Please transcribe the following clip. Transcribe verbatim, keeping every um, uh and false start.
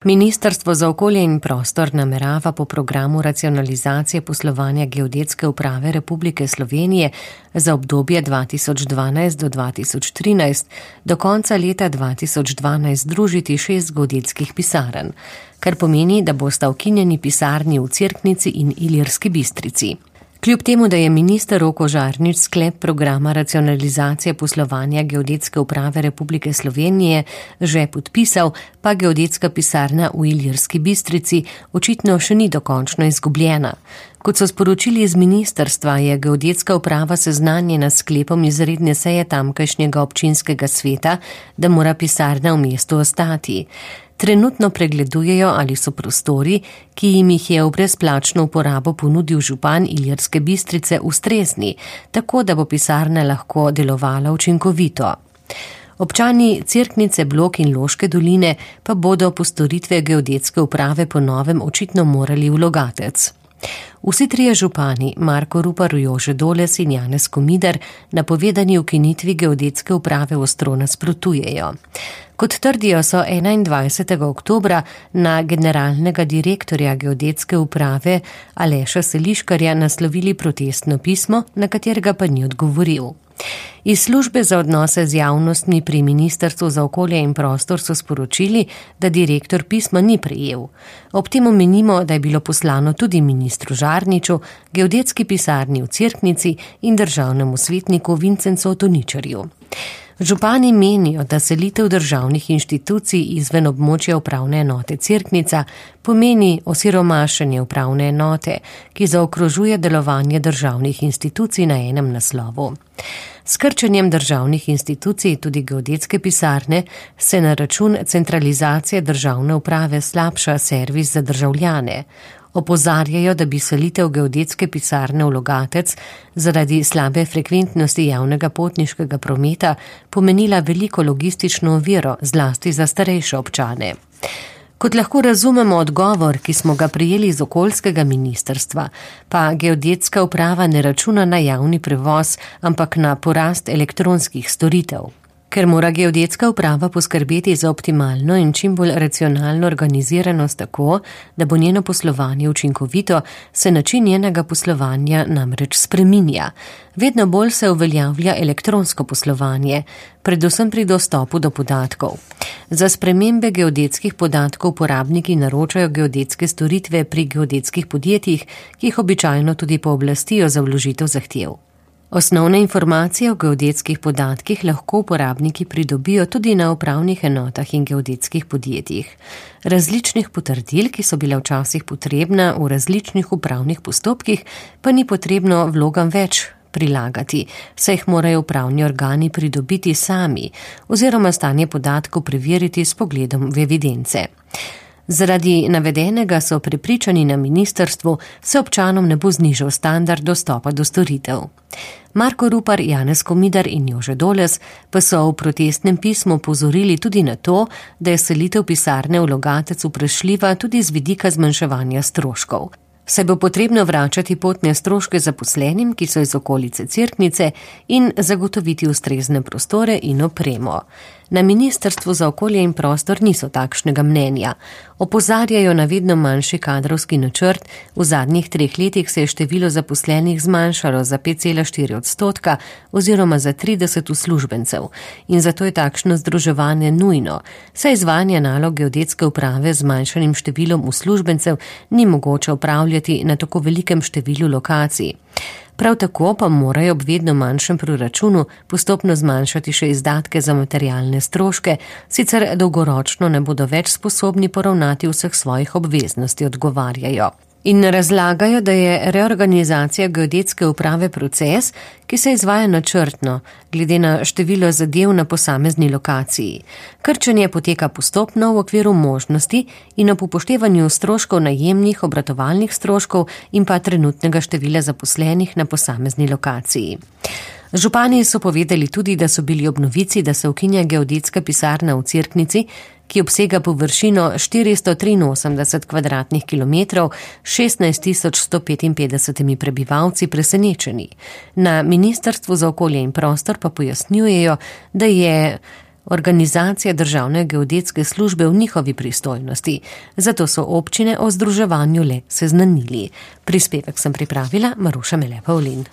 Ministrstvo za okolje in prostor namerava po programu racionalizacije poslovanja Geodetske uprave Republike Slovenije za obdobje dva tisoč dvanajst do dva tisoč trinajst do konca leta dva tisoč dvanajst združiti šest geodetskih pisarn, kar pomeni, da bosta ukinjeni pisarni v Cerknici in Ilirski Bistrici. Kljub temu, da je minister Roko Žarnič sklep programa racionalizacije poslovanja Geodetske uprave Republike Slovenije že podpisal, pa geodetska pisarna v Ilirski Bistrici očitno še ni dokončno izgubljena. Kot so sporočili iz ministrstva, je Geodetska uprava seznanjena s sklepom izredne seje tamkajšnjega občinskega sveta, da mora pisarna v mestu ostati. Trenutno pregledujejo, ali so prostori, ki jim jih je v brezplačno uporabo ponudil župan Ilirske Bistrice, ustrezni, tako da bo pisarna lahko delovala učinkovito. Občani Cerknice, Blok in Loške doline pa bodo po storitve Geodetske uprave po novem očitno morali v Logatec. Vsi trije župani, Marko Rupar, Jože Doles in Janez Komidar, napovedani ukinitvi Geodetske uprave ostro nasprotujejo. Kot trdijo, so enaindvajsetega oktobra na generalnega direktorja Geodetske uprave Aleša Seliškarja naslovili protestno pismo, na katerega pa ni odgovoril. Iz službe za odnose z javnostmi pri Ministrstvu za okolje in prostor so sporočili, da direktor pisma ni prejel. Ob tem omenimo, da je bilo poslano tudi ministru Žarniču, geodetski pisarni v Cerknici in državnemu svetniku Vincencu Toničarju. Župani menijo, da selitev državnih inštitucij izven območja upravne enote Cerknica pomeni osiromašenje upravne enote, ki zaokrožuje delovanje državnih institucij na enem naslovu. S krčenjem državnih institucij, tudi geodetske pisarne, se na račun centralizacije državne uprave slabša servis za državljane. Opozarjajo, da bi selitev geodetske pisarne v Logatec zaradi slabe frekventnosti javnega potniškega prometa pomenila veliko logistično oviro, zlasti za starejše občane. Kot lahko razumemo odgovor, ki smo ga prijeli iz okoljskega ministrstva, pa geodetska uprava ne računa na javni prevoz, ampak na porast elektronskih storitev. Ker mora geodetska uprava poskrbeti za optimalno in čim bolj racionalno organiziranost tako, da bo njeno poslovanje učinkovito, se način njenega poslovanja namreč spreminja. Vedno bolj se uveljavlja elektronsko poslovanje, predvsem pri dostopu do podatkov. Za spremembe geodetskih podatkov uporabniki naročajo geodetske storitve pri geodetskih podjetjih, ki jih običajno tudi pooblastijo za vložitev zahtev. Osnovne informacije o geodetskih podatkih lahko uporabniki pridobijo tudi na upravnih enotah in geodetskih podjetjih. Različnih potrdil, ki so bile včasih potrebna v različnih upravnih postopkih, pa ni potrebno vlogam več prilagati, saj jih morajo upravni organi pridobiti sami oziroma stanje podatkov preveriti s pogledom v evidence. Zaradi navedenega so prepričani na ministrstvu, se občanom ne bo znižal standard dostopa do storitev. Marko Rupar, Janez Komidar in Jože Doles pa so v protestnem pismu opozorili tudi na to, da je selitev pisarne v Logatec vprašljiva tudi z vidika zmanjševanja stroškov. Se bo potrebno vračati potne stroške zaposlenim, ki so iz okolice Cerknice, in zagotoviti ustrezne prostore in opremo. Na Ministrstvu za okolje in prostor niso takšnega mnenja. Opozarjajo na vedno manjši kadrovski načrt, v zadnjih treh letih se je število zaposlenih zmanjšalo za pet cela štiri odstotka oziroma za trideset uslužbencev in zato je takšno združevanje nujno, saj izvajanje nalog geodetske uprave z zmanjšanim številom uslužbencev ni mogoče opravljati na tako velikem številu lokacij. Prav tako pa morajo ob vedno manjšem proračunu postopno zmanjšati še izdatke za materialne stroške, sicer dolgoročno ne bodo več sposobni poravnati vseh svojih obveznosti, odgovarjajo. In razlagajo, da je reorganizacija geodetske uprave proces, ki se izvaja načrtno, glede na število zadev na posamezni lokaciji. Krčenje poteka postopno v okviru možnosti in ob upoštevanju stroškov najemnih, obratovalnih stroškov in pa trenutnega števila zaposlenih na posamezni lokaciji. Župani so povedali tudi, da so bili ob novici, da se ukinja geodetska pisarna v Cerknici, ki obsega površino štiristo triinosemdeset kvadratnih kilometrov, šestnajst tisoč sto petinpetdeset prebivalci, presenečeni. Na Ministrstvu za okolje in prostor pa pojasnjujejo, da je Organizacija Državne geodetske službe v njihovi pristojnosti, zato so občine o združevanju le seznanili. Prispevek sem pripravila Maruša Mele Pavlin.